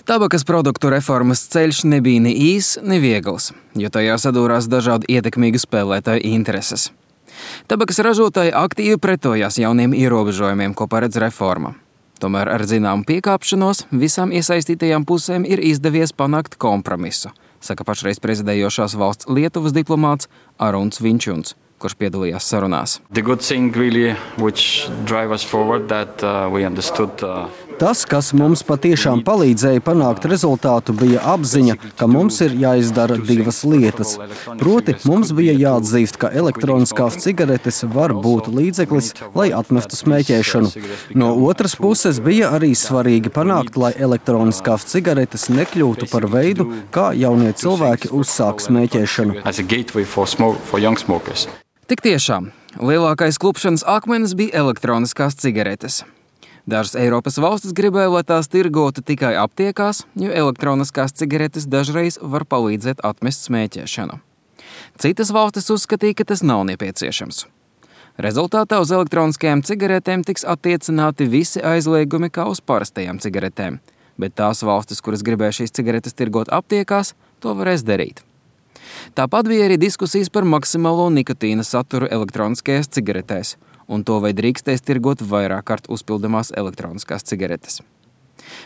Tabakas produktu reformas ceļš nebija ne īss, ne viegls, jo tajā sadūrās dažādi ietekmīgi spēlētāju intereses. Tabakas ražotāji aktīvi pretojās jauniem ierobežojumiem, ko paredz reforma. Tomēr ar zināmu piekāpšanos visām iesaistītajām pusēm ir izdevies panākt kompromisu, saka pašreiz prezidējošās valsts Lietuvas diplomāts Aruns Vinčuns, kurš piedalījās sarunās. Tas, kas mums patiešām palīdzēja panākt rezultātu, bija apziņa, ka mums ir jāizdara divas lietas. Proti, mums bija jāatzīst, ka elektroniskās cigaretes var būt līdzeklis, lai atmestu smēķēšanu. No otras puses bija arī svarīgi panākt, lai elektroniskās cigaretes nekļūtu par veidu, kā jaunie cilvēki uzsāk smēķēšanu. Tik tiešām, lielākais klupšanas akmenis bija elektroniskās cigaretes. Dažas Eiropas valstis gribēja, lai tās tirgotu tikai aptiekās, jo elektroniskās cigaretes dažreiz var palīdzēt atmest smēķēšanu. Citas valstis uzskatīja, ka tas nav nepieciešams. Rezultātā uz elektroniskajām cigaretēm tiks attiecināti visi aizliegumi kā uz parastajām cigaretēm, bet tās valstis, kuras gribēja šīs cigaretes tirgot aptiekās, to varēs darīt. Tāpat bija arī diskusijas par maksimālo nikotīna saturu elektroniskajās cigaretēs un to, vai drīkstēs tirgot vairāk kārt uzpildamās elektroniskās cigaretes.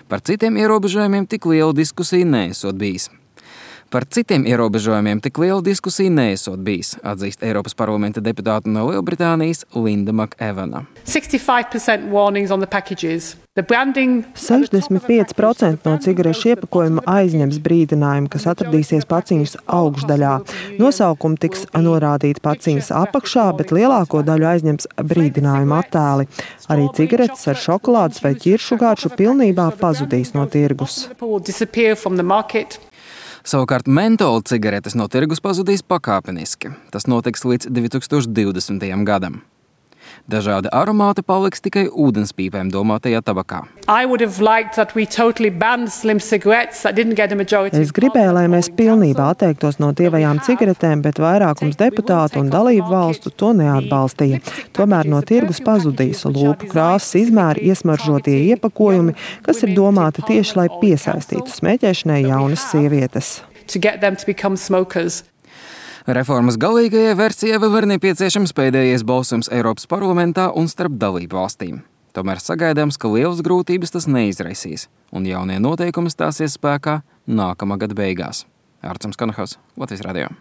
Par citiem ierobežojumiem tik liela diskusija neesot bijis. Atzīst Eiropas parlamenta deputāta no Lielbritānijas Linda Makevana. 65% no cigarešu iepakojuma aizņems brīdinājumu, kas atradīsies paciņas augšdaļā. Nosaukumi tiks norādīti paciņas apakšā, bet lielāko daļu aizņems brīdinājumu attēli. Arī cigaretes ar šokolādes vai ķiršu garšu pilnībā pazudīs no tirgus. Savukārt mentola cigaretes no tirgus pazudīs pakāpeniski. Tas notiks līdz 2020. gadam. Dažādi aromāti paliks tikai ūdenspīpēm domātajā tabakā. Es gribēju, lai mēs pilnībā atteiktos no tievajām cigaretēm, bet vairākums deputātu un dalību valstu to neatbalstīja. Tomēr no tirgus pazudīs lūpu krāsas izmēri iesmaržotie iepakojumi, kas ir domāti tieši, lai piesaistītu smēķēšanai jaunas sievietes. Reformas galīgajai versijai vēl ir nepieciešams pēdējais balsojums Eiropas parlamentā un starp dalību valstīm. Tomēr sagaidāms, ka lielas grūtības tas neizraisīs, un jaunie noteikumi stāsies spēkā nākamā gada beigās. Arturs Kanahaus, Latvijas radio.